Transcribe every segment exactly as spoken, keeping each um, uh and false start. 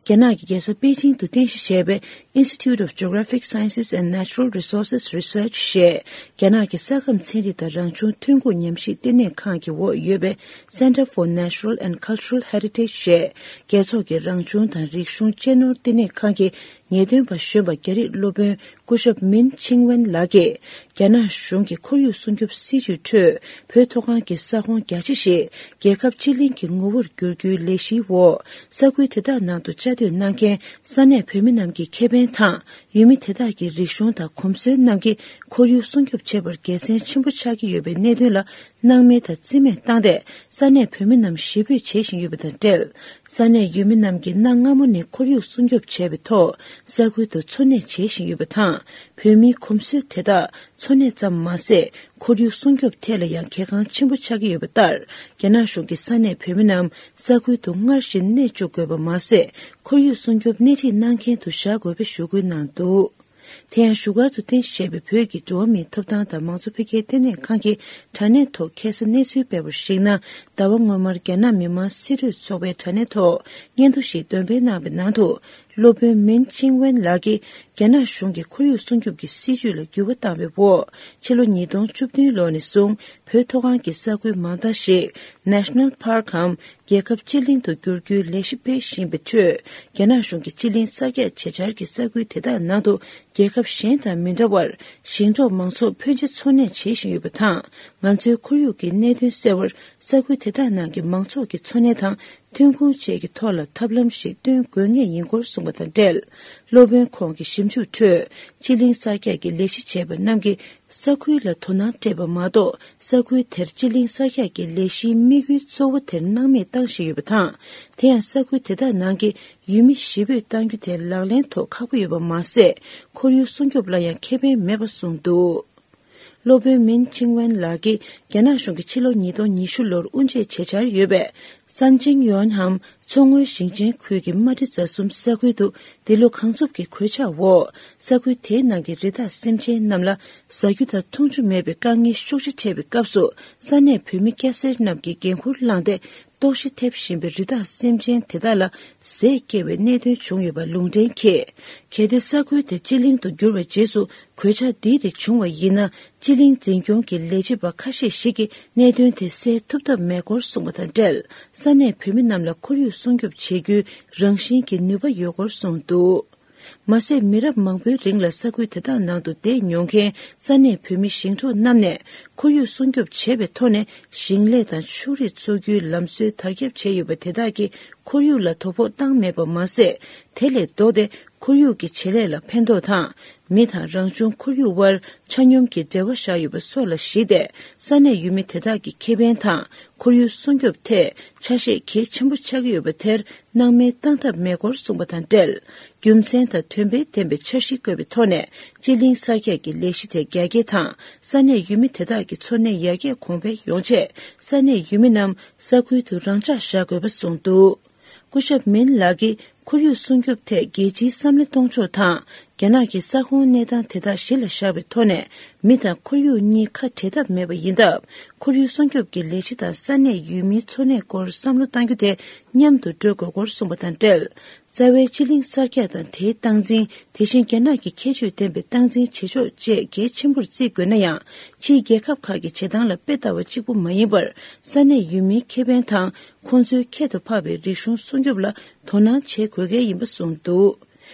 རྒྱ་ནག་གི་རྒྱལ་ས་པེ་ཅིང་དུ་རྟེན་གཞི་བྱས་པའི་Institute of Geographic Sciences and Natural Resources Research ཞེས་རྒྱ་ནག་གི་ས་ཁམས་ཚན་རིག་དང་རང་བྱུང་ཐོན་ཁུངས་ཉམས་ཞིབ་ལྟེ་གནས་ཁང་གི་འོག་ཡོད་པའི་Center for Natural and Cultural Heritage ཞེས་རྒྱལ་ཚོགས་ཀྱི་རང་བྱུང་དང་རིག་གཞུང་གཅེས་ནོར་ལྟེ་གནས་ཁང་གི་ངེས་སྟོན་པ་གཞོན་པ་རྒྱ་རིགས་སློབ་དཔོན་སྐུ་ཞབས་མིན་ཆིང་ཝེན་ལགས་ཀྱིས། རྒྱ་ནག་གཞུང་གི་ཁོར་ཡུག་སྲུང་སྐྱོབ་སྲིད་ཇུས་ཁྲོད་བོད་མཐོ་སྒང་གི་ས་ཁོངས་རྒྱ་ཆེ་ཞིག་རྒྱལ་ཁབ་སྤྱི་གླིང་གི་ངོ་བོར་བསྒྱུར་རྒྱུའི་ལས་གཞིའི་འོག་ས་ཁུལ་དེ་དག་ནང་དུ་བཅའ་སྡོད་གནང་མཁན་ས་གནས་བོད་མི་རྣམས་ཀྱི་ཁེ་ཕན་དང་། ཡུལ་མི་དེ་དག་གི་རིག་གཞུང་དང་གོམས་སྲོལ་རྣམས་ཀྱིས་ཁོར་ཡུག་སྲུང་སྐྱོབ་བྱེད་པར་དགེ་མཚན་ཆེན་པོ་ཆགས་ཀྱི་ཡོད་པའི་གནད་དོན་ལ། སྣང་མེད་དང་རྩིས་མེད་བཏང་སྟེ། ས་གནས་བོད་མི་རྣམས་ཞེ་འབོད་བྱེད་བཞིན་ཡོད་པ་དང་འབྲེལ། ས་གནས་ཡུལ་མི་རྣམས་ཀྱིས་གནའ་སྔ་མོ་ནས་ཁོར་ཡུག་སྲུང་སྐྱོབ་བྱས་པའི་ཐོག་ས་ཁུལ་དུ་འཚོ་གནས་བྱེད་བཞིན་ཡོད་པ་དང་། བོད་མིའི་གོམས་སྲོལ་དེ་དག་འཚོ་གནས་ཙམ་མ་ཟད། ཁོར་ཡུག་སྲུང་སྐྱོབ་ཐད་ལ་ཡང་གལ་འགངས་ཆེན་པོ་ཆགས་ཀྱི་ཡོད་པ་ལྟར། རྒྱ་ནག་གཞུང་གིས་ས་གནས་བོད་མི་རྣམས་ས་ཁུལ་དུ་སྔར་བཞིན་གནས་བཅུག་དགོས་པ་མ་ཟད། ཁོར་ཡུག་སྲུང་སྐྱོབ་སྣེ་ཁྲིད་གནང་མཁན་དུ་བཞག་དགོས་པའི་ཞུ་སྐུལ་གནང་འདུག་དེ་ཡང་བཞུགས་སྒར་དུ་རྟེན་གཞི་བྱས་པའི་བོད་ཀྱི་འགྲོ་བ་མིའི་ཐོབ་ཐང་དང་མང་གཙོ་འཕེལ་རྒྱས་ལྟེ་གནས་ཁང་གི་དྲ་གནས་ཐོག་ཁ་སང་གནས་ཚུལ་སྤེལ་བར་གཞིགས་ན། ཟླ་བ་སྔོན་མར་རྒྱ་ནག་མི་དམངས་སྲིད་གྲོས་ཚོགས་པའི་དྲ་གནས་ཐོག་སྙན་ཐོ་ཞིག་འདོན་སྤེལ་གནང་བའི་ནང་དུ། སློབ་དཔོན་མིན་ཆིང་ཝེན་ལགས་ཀྱིས་རྒྱ་ནག་གཞུང་གིས་ཁོར་ཡུག་སྲུང་སྐྱོབ་ཀྱི་སྲིད་ཇུས་ལ་འགྱུར་བ་བཏང་བའི་འོག་ཕྱི་ལོ་ཉིས་སྟོང་བཅུ་བདུན་ལོ་ནས་བཟུང་བོད་མཐོ་སྒང་གི་ས་ཁུལ་མང་དག་ཞིག་National Park གམ། རྒྱལ་ཁབ་སྤྱི་གླིང་དུ་བསྒྱུར་རྒྱུའི་ལས་གཞི་སྤེལ་བཞིན་པའི་ཁྲོད། རྒྱ་ནག་གཞུང་གིས་སྤྱི་གླིང་གསར་རྒྱག་བྱེད་འཆར་གྱི་ས་ཁུལ་དེ་དག་ནང་དུ་རྒྱལ་ཁབ་གཞན་དང་མི་འདྲ་བར་ཞིང་འབྲོག་མང་ཚོགས་ཕོན་ཆེ་འཚོ་གནས་བྱེད་བཞིན་ཡོད་པ་དང་། ང་ཚོའི་ཁོར་ཡུག་གི་གནད་དོན་སེལ་བར་ས་ཁུལ་དེ་དག་ནང་གི་མང་ཚོགས་ཀྱི་འཚོ་གནས་དང་ཐོན་ཁུངས་བཅས་ཀྱི་ཐོག་ལ་ཐབས་ལམ་ཞིག་སྟོན་དགོས་ངེས་ཡིན་སྐོར་གསུངས་པ་དང་འབྲེལ། སློབ་དཔོན་ཁོང་གི་ཞིབ་འཇུག་ཁྲོད་སྤྱི་གླིང་གསར་རྒྱག་གི་ལས་གཞི་བྱས་པ་རྣམས་ཀྱིས། ས་ཁུལ་ལ་དོ་སྣང་སྤྲད་པ་མ་གཏོགས་ས་ཁུལ་དེར་སྤྱི་གླིང་གསར་རྒྱག་གི་ལས་གཞིའི་དམིགས་ཡུལ་གཙོ་བོ་དེར་སྣང་མེད་བཏང་བཞིན་ཡོད་པ་དང་། དེ་ཡང་ས་ཁུལ་དེ་དག་ནང་གི་ཡུལ་མི་ཞེ་འབོད་གཏང་རྒྱུ་དེ་ལག་ལེན་ཐོག་ཁག་པོ་ཡོད་པ་མ་ཟད། ཁོར་ཡུག་སྲུང་སྐྱོབ་ལ་ཡང་ཁེ་ཕན་མེད་པ་གསུངས་འདུག་སློབ་དཔོན་མིན་ཆིང་ཝན་ལགས་ཀྱིས་རྒྱ་ནག་གཞུང་གིས་ཕྱི་ལོ་ཉིས་སྟོང་ཉི་ཤུ་ལོར་དབུ་འབྱེད་བྱེད་འཆར་ཡོད་པའི་ཧྲན་ཅིང་ཡོན་ཧམ། མཚོ་སྔོན་ཞིང་ཆེན་ཁུལ་གྱི་རྨ་འབྲི་རྫ་གསུམ་ས་ཁུལ་དུ་འདི་ལོ་གངས་འཚུབ་ཀྱི་གོད་ཆག་འོག་ས་ཁུལ་དེའི་ནང་གི་རི་དྭགས་སེམས་ཅན་རྣམས་ལ་ཟ་རྒྱུ་དང་འཐུང་ཆུ་མེད་པའི་དཀའ་ངལ་ཤུགས་ཆེ་འཕྲད་པའི་སྐབས་སུ། ས་གནས་བོད་མི་སྐྱ་སེར་རྣམས་ཀྱིས་འགན་འཁུར་བླངས་ཏེ། ལྟོགས་ཤི་ཐེབས་བཞིན་པའི་རི་དྭགས་སེམས་ཅན་དེ་དག་ལ་ཟས་བསྐྱེལ་བའི་གནད་དོན་བྱུང་ཡོད་པ་ལུང་འདྲེན་གྱིས། གལ་ཏེ་ས་ཁུལ་དེ་སྤྱི་གླིང་དུ་བསྒྱུར་བའི་རྗེས་སུ། གོད་ཆག་འདིའི་རིགས་བྱུང་བ་ཡིན་ན། སྤྱི་གླིང་འཛིན་སྐྱོང་གི་ལས་བྱེད་པ་ཁ་ཤས་ཤིག་གིས་གནད་དོན་དེ་སེལ་ཐུབ་ཐབས་མེད་སྐོར་གསུངས་པ་དང་འབྲེལ། ས་གནས་བོད་མི་རྣམས་ལ་ཁོར་ཡུག་སྲུང་སྐྱོབ་བྱེད་རྒྱུའི་རང་བཞིན་གྱི་ནུས་པ་ཡོད་སྐོར་གསུངས་འདུག་མ་ཟད། མི་རབས་མང་པོའི་རིང་ལ་ས་ཁུལ་དེ་དག་ནང་དུ་བསྡད་མྱོང་མཁན་ས་གནས་བོད་མི་ཞིང་འབྲོག་རྣམས་ནས། ཁོར་ཡུག་སྲུང་སྐྱོབ་བྱེད་པའི་ཐོག་ནས་ཞིང་ལས་དང་ཕྱུགས་རིགས་འཚོ་རྒྱུའི་ལམ་སྲོལ་དར་ཁྱབ་བྱས་ཡོད་པ་དེ་དག་གིས། ཁོར་ཡུག་ལ་དོ་ཕོག་བཏང་མེད་པ་མ་ཟད། དེ་ལས་ལྡོག་སྟེ། ཁོར་ཡུག་གི་བྱེད་ལས་ལ་ཕན་ཐོགས་དང་། མི་དང་རང་བྱུང་ཁོར་ཡུག་དབར་ཆ་སྙོམས་ཀྱི་འབྲེལ་བ་བཞག་ཡོད་པ་སོགས་ལ་གཞིགས་ཏེ། ས་གནས་ཡུལ་མི་དེ་དག་གི་ཁེ་ཕན་དང་། ཁོར་ཡུག་སྲུང་སྐྱོབ་ཐད་ཆ་ཤས་གལ་ཆེན་པོ་ཆགས་ཀྱི་ཡོད་པ་དེར་སྣང་མེད་བཏང་ཐབས་མེད་སྐོར་གསུངས་པ་དང་འབྲེལ། རྒྱུ་མཚན་དང་དོན་ཕན་ལྡན་པའི་འཆར་གཞི་བཀོད་པའི་ཐོག་ནས། སྤྱི་གླིང་གསར་རྒྱག་གི་ལས་གཞི་དེ་རྒྱ་སྐྱེད་དང་། ས་གནས་ཡུལ་མི་དེ་དག་གི་འཚོ་གནས་ཡར་རྒྱས་གོང་འཕེལ་ཡོང་ཆེད། ས་གནས་ཡུལ་མི་རྣམས་ས་ཁུལ་དུ་རང་འཇགས་བཞག་དགོས་པ་གསུངས་འདུག་སྐུ་ཞབས་མིན་ལགས་ཀྱིས་ཁོར་ཡུག་སྲུང་སྐྱོབ་ཐད་རྒྱལ་སྤྱིའི་བསམ་བློ་གཏོང་ཕྱོགས་དང་། རྒྱ་ནག་གི་ས་ཁོངས་གནས་སྟངས་དེ་དག་གཞི་ལ་བཞག་པའི་ཐོག་ནས། མི་དང་ཁོར་ཡུག་གཉིས་ཁ་བྲལ་ཐབས་མེད་པ་ཡིན་སྟབས། ཁོར་ཡུག་སྲུང་སྐྱོབ་ཀྱི་ལས་གཞི་དང་ས་གནས་ཡུལ་མིའི་འཚོ་གནས་སྐོར་བསམ་བློ་གཏང་རྒྱུ་དེ་མཉམ་དུ་འགྲོ་དགོས་སྐོར་གསུངས་པ་དང་འབྲེལ། རྩ་བའི་སྤྱི་གླིང་གསར་རྒྱག་དང་དེའི་སྟངས་འཛིན། དེ་བཞིན་རྒྱ་ནག་གི་ཁྱད་ཆོས་ལྡན་པའི་སྟངས་འཛིན་བྱེད་ཕྱོགས་བཅས་གལ་ཆེན་པོར་བརྩི་དགོས་ན་ཡང་། ཕྱིའི་རྒྱལ་ཁབ་ཁག་གི་བྱེད་སྟངས་ལ་དཔེ་ལྟ་བ་གཅིག་པུ་མ་ཡིན་པར། ས་གནས་ཡུལ་མིའི་ཁེ་ཕན་དང་། ཁོང་ཚོའི་ཁྱད་དུ་འཕགས་པའི་རིག་གཞུང་སྲུང་སྐྱོབ་ལ་དོ་སྣང་བྱེད་དགོས་གལ་ཡིན་པ་གསུངས་འདུག་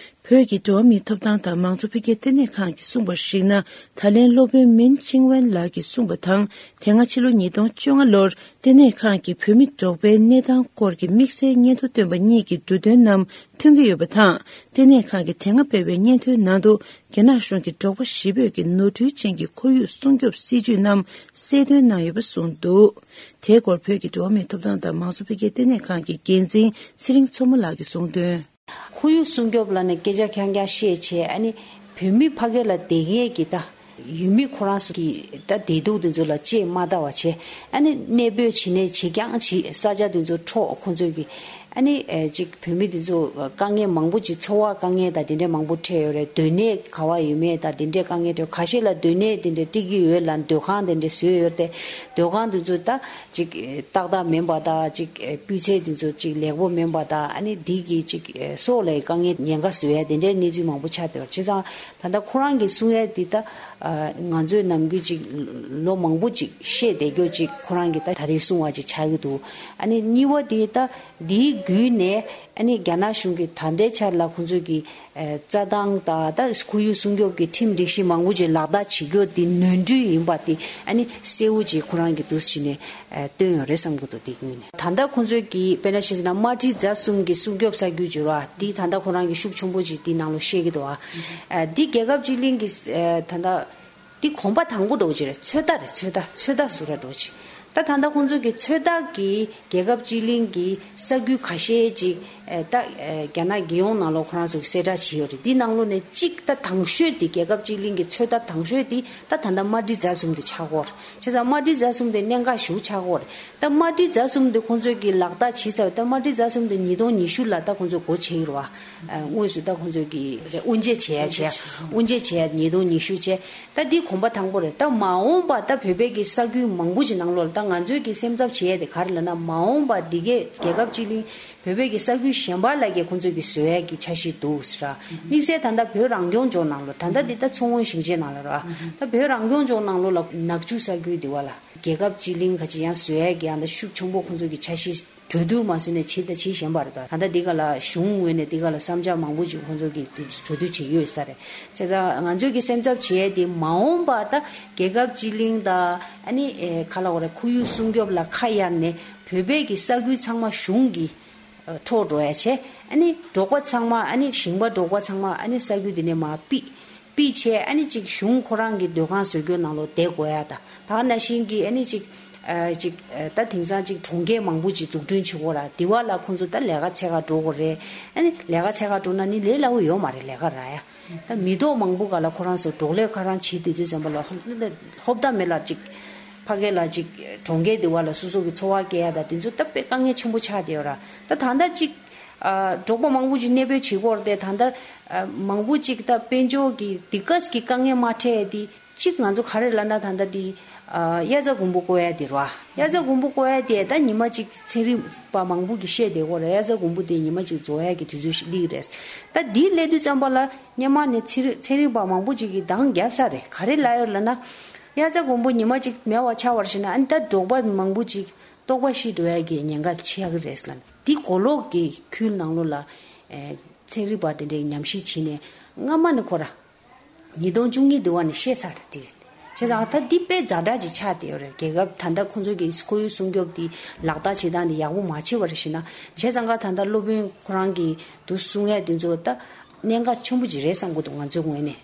བོད་ཀྱི་འགྲོ་བ་མིའི་ཐོབ་ཐང་དང་མང་གཙོ་འཕེལ་རྒྱས་ལྟེ་གནས་ཁང་གིས་གསུངས་པར་གཞིགས་ན། ད་ལན་སློབ་དཔོན་མིན་ཆིང་ཝེན་ལགས་ཀྱིས་གསུངས་པ་དང་། དེ་སྔ་ཕྱི་ལོ་ཉིས་སྟོང་བཅོ་ལྔ་ལོར་ལྟེ་གནས་ཁང་གིས་བོད་མི་འབྲོག་པའི་གནས་སྟངས་སྐོར་གྱི་དམིགས་བསལ་སྙན་ཐོ་བཏོན་པ་གཉིས་ཀྱི་འབྲུ་དོན་རྣམས་མཐུན་གྱི་ཡོད་པ་དང་། ལྟེ་གནས་ཁང་གིས་དེ་སྔ་སྤེལ་བའི་སྙན་ཐོའི་ནང་དུ། རྒྱ་ནག་གཞུང་གིས་འབྲོག་པ་ཞེ་འབོད་ཀྱི་ནོར་འཁྲུལ་ཅན་གྱི་ཁོར་ཡུག་སྲུང་སྐྱོབ་སྲིད་ཇུས་རྣམས་གསལ་སྟོན་གནང་ཡོད་པ་གསུངས་འདུག་དེའི་སྐོར་བོད་ཀྱི་འགྲོ་བ་མིའི་ཐོབ་ཐང་དང་མང་གཙོ་འཕེལ་རྒྱས་ལྟེ་གནས་ཁང་གི་འགན་འཛིན་ཚེ་རིང་མཚོ་མོ་ལགས་ཀྱིས་གསུངས་དོན། ཁོར་ཡུག་སྲུང་སྐྱོབ་ལབ་ནས་སྐད་ཆ་རྐྱང་རྐྱང་བཤད་བྱས། ཨ་ནི་བོད་མི་ཕ་གི་ལ་བསྡད་མཁན་གྱི་ད་ཡུལ་མི་ཁོ་རང་ཚོ་གི་ད་བདེ་སྡུག་དེ་ཚོ་ལ་གཅེས་མ་ལྟ་བ་བྱས། ཨ་ནི་གནས་སྤོས་བྱེད་ནས་བྱེད་རྐྱང་བྱེད། ས་ཆ་དེ་ཚོ་འཕྲོག་ཁོང་ཚོས་ཀྱི། ཨ་ནི་ཨེ་ཅིག་བོད་མི་དེ་ཚོ་དཀའ་ངལ་མང་པོ་ཅིག་འཚོ་བ་དཀའ་ངལ་དང་དེ་འདྲའི་མང་པོ་འཕྲད་ཡོད་རེད། སྡོད་གནས་ག་བ་ཡོད་མེད་དང་དེ་འདྲའི་དཀའ་ངལ་འཕྲད། ཁ་ཤས་ལ་སྡོད་གནས་དེ་འདྲ་སྤྲད་ཀྱི་ཡོད་ལ་སྡོད་ཁང་དེ་འདྲ་བཟོས་ཡོད་རེད། སྡོད་ཁང་དེ་ཚོ་ད་ཅིག་ཏག་ཏག་མིན་པ་དང་ཅིག་སྤུས་ཚད་དེ་ཚོ་ཅིག་ལེགས་པོ་མིན་པ་དང་ཨ་ནི་དེ་གི་ཅིག་སྲོག་ལ་དཀའ་ངལ་ཉེན་ཁ་བཟོ་ཡ་དེ་འདྲའི་གནས་ཚུལ་མང་པོ་ཆགས་བསྡད་ཡོད་རེད། བྱས་ཙང་ད་ལྟ་ཁོ་རང་གིས་གསུང་ཡ་དེ་ད་ང་ཚོས་ནམ་རྒྱུན་ཅིག་ལོ་མང་པོ་ཅིག་བཤད་བསྡད་རྒྱུ་ཅིག་ཁོ་རང་གིས་ད་ད་རེས་གསུང་བ་ཅིག་ཆགས་ཀྱི་འདུག་ཨ་ནི་གཉིས་པ་དེ་ད་འདིའི་བརྒྱུད་ནས་ཨ་ནི་རྒྱ་ནག་གཞུང་གིས་ད་ལྟའི་ཆར་ལ་ཁོང་ཚོས་ཀྱི་ཨེ་རྩྭ་ཐང་དང་ད་ཁོར་ཡུག་སྲུང་སྐྱོབ་ཀྱི་ཁྲིམས་སྒྲིག་གཞི་མང་པོ་ཅིག་ལག་བསྟར་བྱེད་རྒྱུ་དེ་ནོར་འཁྲུལ་ཡིན་པ་དེ་ཨ་ནི་གསལ་བོ་ཅིག་ཁོ་རང་གིས་འདུག་སེ་བྱས་ནས་ཨེ་བཏོན་ཡོད་རེད་བསམ་གྱི་འདུག་དེ་བརྒྱུད་ནས་ད་ལྟ་ཁོང་ཚོས་ཀྱི་དཔེར་ན་བཤད་ཟིན་ན་དམར་ཁྲིད་རྫ་གསུམ་གྱི་སྲུང་སྐྱོབ་ས་ཁུལ་བྱུང་ར་དེ་ད་ལྟ་ཁོ་རང་གི་ཤུགས་ཆེན་པོ་ཅིག་དེའི་ནང་ལོགས་བཤད་ཀྱི་འདུག་ཨ། ཨེ་འདི་རྒྱལ་ཁབ་སྤྱི་གླིང་གི་ཨེ་ད་ལྟ་འདི་གོམ་པ་དང་པོ་འགྲོ་ཅིག་རེད། ཚོད་ལྟ་རེད། ཚོད་ལྟ་ཚོད་ལྟ་ཟུར་ར་འགྲོ་ཅིག་ད་ད་ལྟ་ཁོང་ཚོ་གི་ཚོད་ལྟ་གི་རྒྱལ་ཁབ་སྤྱི་གླིང་གི་ས་ཁུལ་ཁ་ཤས་ཅིག་ཨེ་ད་ཨེ་རྒྱ་ནག་རྒྱལ་ཡོངས་ནང་ལོགས་ཁོ་རང་ཚོ་གི་གསལ་བསྒྲགས་བྱས་ཡོད་རེད། འདི་ནང་ལོགས་ནས་གཅིག་ད་དང་ཤོས་དེ་རྒྱལ་ཁབ་སྤྱི་གླིང་གི་ཚོད་ལྟ་དང་ཤོས་དེ་ད་ད་ལྟ་དམར་ཁྲིད་རྫ་གསུམ་དེ་ཆགས་ཀྱི་ཡོད་རེད། བྱས་ཙང་དམར་ཁྲིད་རྫ་གསུམ་དེ་གནད་འགག་ཞེ་པོ་ཆགས་ཀྱི་ཡོད་རེད། ད་དམར་ཁྲིད་རྫ་གསུམ་དེ་ཁོང་ཚོས་ཀྱི་ལག་བསྟར་བྱས་ཚར་བ། ད་དམར་ཁྲིད་རྫ་གསུམ་དེ་ཉིས་སྟོང་ཉི་ཤུ་ལ་ད་ཁོང་ཚོས་སྒོ་ཕྱེ་ཡོད་རེད་བ། ཨ་དངོས་སུ་ད་ཁོང་ཚོས་ཀྱི་དབུ་འབྱེད་བྱས་ཡ་བྱས། དབུ་འབྱེད་བྱས་ཡ་ཉིས་སྟོང་ཉི་ཤུ་བྱས། ད་འདི་གོམ་པ་དང་པོ་རེད། ད་མ་འོངས་པ་ད་བོད་པའི་གི་ས་ཁུལ་མང་པོ་ཞིག་ནང་ལོགས་ལ་ད་ང་ཚོའི་གི་སེམས་འཚབ་བྱས་ཡ་དེ་ག་རེ་ལབ་ན་མ་འོངས་པ་འདི་གའི་རྒྱལ་ཁབ་སྤྱི་གླིང་བོད་པའི་གི་ས་ཁུལ་གཞན་པ་ལ་གི་ཁོང་ཚོས་གི་བཟོ་ཡ་གི་འཆར་གཞི་འདུག་ཟེར་ར། དམིགས་བསལ་ད་ལྟ་བོད་རང་སྐྱོང་ལྗོངས་ནང་ལོགས་ད་ལྟ་འདི་ད་མཚོ་སྔོན་ཞིང་ཆེན་ནང་ལ་ར། ད་བོད་རང་སྐྱོང་ལྗོངས་ནང་ལོགས་ལ་ནག་ཆུ་ས་ཁུལ་འདི་བ་ལ་རྒྱལ་ཁབ་སྤྱི་གླིང་ག་ཅིག་ཡང་བཟོ་ཡ་གི་ཡང་ད་ཤུགས་ཆེན་པོ་ཁོང་ཚོས་གི་འཆར་གཞི་གྲོས་བསྡུར་མ་བཟོས་ནས་བྱེད་དང་བྱེད་བཞིན་པ་རེད། ད་ད་ལྟ་འདི་ག་ལ་གཞུང་ངོས་ནས་འདི་ག་ལ་བསམ་འཆར་མང་པོ་ཅིག་ཁོང་ཚོ་གིས་གྲོས་བསྡུར་བྱེད་ཀྱི་ཡོད་ས་རེད། བྱས་ཙང་ང་ཚོས་ཀྱི་སེམས་འཚབ་བྱས་ཏེ་མ་འོངས་པ་ད་རྒྱལ་ཁབ་སྤྱི་གླིང་དང་ཨ་ནི་ཨེ་ག་ལ་བ་རེད། ཁོར་ཡུག་སྲུང་སྐྱོབ་ལ་ཁ་གཡར་ནས་བོད་པའི་གི་ས་ཁུལ་ཚང་མ་གཞུང་གིས་འཕྲོག་འགྲོ་ཡ་བྱས། ཨ་ནི་འབྲོག་པ་ཚང་མ་ཨ་ནི་ཞིང་པ་འབྲོག་པ་ཚང་མ་ཨ་ནི་ས་ཁུལ་དེ་ནས་མར་ཕུད། པི་བྱས་ཨ་ནི་ཅིག་གཞུང་ཁོ་རང་གི་སྡོད་ཁང་བཟོ་རྒྱུ་ནང་ལོགས་བསྡད་དགོས་ཡ་ད། ད་ནང་བཞིན་གྱི་ཨ་ནི་ཅིག་ཨ་ཅིག་ཨ་ད་དེང་སང་ཅིག་གྲོང་ཁྱེར་མང་པོ་ཅིག་འཛུགས་སྐྲུན་བྱེད་དགོས་ར། དེ་བ་ལ་ཁོང་ཚོ་ད་ལས་ཀ་འཚོལ་ག་འགྲོ་དགོས་རེད། ཨ་ནི་ལས་ཀ་འཚོལ་ག་འགྲོ་ན་ནི་ལས་སླ་བོ་ཡོད་མ་རེད། ལས་ཀ་རག་ཡ་ད་མི་ཐོག་མང་པོ་ག་ལ་ཁོ་རང་ཚོ་འབྲོག་ལས་ཁ་རང་བྱེད་དུས་དུས་ཙམ་པ་ལ་ཧོབ་ད་མེད་ལ་ཅིག་ཕ་གི་ལ་ཅིག་གྲོང་ཁྱེར་དེ་བ་ལ་སོ་སོ་གི་འཚོ་བ་སྐྱེལ་ཡ་ད་དེ་ཚོ་ད་དཔེ་དཀའ་ངལ་ཆེན་པོ་ཆགས་བསྡད་ཡོད་ར། ད་ད་ལྟ་ཅིག་ཨ་འབྲོག་པ་མང་པོ་ཅིག་གནས་སྤོས་བྱེད་དགོས་རེད་དེ། ད་ལྟ་ཨ་མང་པོ་ཅིག་ད་དཔལ་འབྱོར་གྱི་དེ་ག་གི་དཀའ་ངལ་མ་འཕྲད་དེ་གཅིག་ང་ཚོ་ག་རེ་ལབ་ན་ད་ལྟ་དེ་ཨ་དབྱར་རྩྭ་དགུན་འབུ་བརྐོ་ཡ་དེ་རེད་བ། དབྱར་རྩྭ་དགུན་འབུ་བརྐོ་ཡ་དེ་ད་ཉི་མ་གཅིག་ཚན་རིག་པ་མང་པོ་གིས་བཤད་བསྡད་ཡོད་རེད། དབྱར་རྩྭ་དགུན་འབུ་དེ་ཉི་མ་གཅིག་རྫོགས་ཡ་གི་དུས་ཚོད་ཞིག་སླེབས་རེད། ད་དེ་སླེབས་དུས་ཙམ་པ་ལ་སྔོན་མ་ནས་ཚན་རིག་ཚན་རིག་པ་མང་པོ་ཅིག་གིས་འདང་བརྒྱབ་ཚར་རེད། ག་རེ་ལབ་ཡོད་ལབ་ན་དབྱར་རྩྭ་དགུན་འབུ་ཉི་མ་གཅིག་མེད་པ་ཆགས་པར་བྱས་ན་ཨ་ནི་ད་འབྲོག་པ་མང་པོ་ཅིག་ལྟོགས་པ་ཤི་འགྲོ་ཡ་གི་ཉེན་ཁ་ཆེ་གི་རེད་ལབ་ནས། འདི་གོ་ལོག་གི་ཁུལ་ནང་ལོགས་ལ་ཨེ་ཚན་རིག་པ་དེ་འདྲའི་ཉམས་ཞིབ་བྱས་ནས་སྔ་མ་ནས་ཁོ་ར་ཉིས་སྟོང་བཅུ་གཉིས་དེ་བ་ནས་བཤད་ཚར་རེད་དེ། བྱས་ཙང་ད་འདི་དཔེ་ཛ་དྲག་ཅིག་ཆགས་བསྡད་ཡོད་རེད། རྒྱལ་ཁབ་ད་ལྟ་ཁོང་ཚོ་གི་ཁོར་ཡུག་སྲུང་སྐྱོབ་དེ་ལག་བསྟར་བྱེད་སྟངས་དེ་ཡག་པོ་མ་བྱས་པར་བྱས་ན། བྱས་ཙང་ཀ་ད་ལྟ་སློབ་དཔོན་ཁོ་རང་གིས་འདུག་གསུང་ཡ་དེ་ཚོ་ད་གནད་འགག་ཆེན་པོ་ཅིག་རེད་བསམ་གི་འདུག་ང་ཚོའི་ངོས་ནས།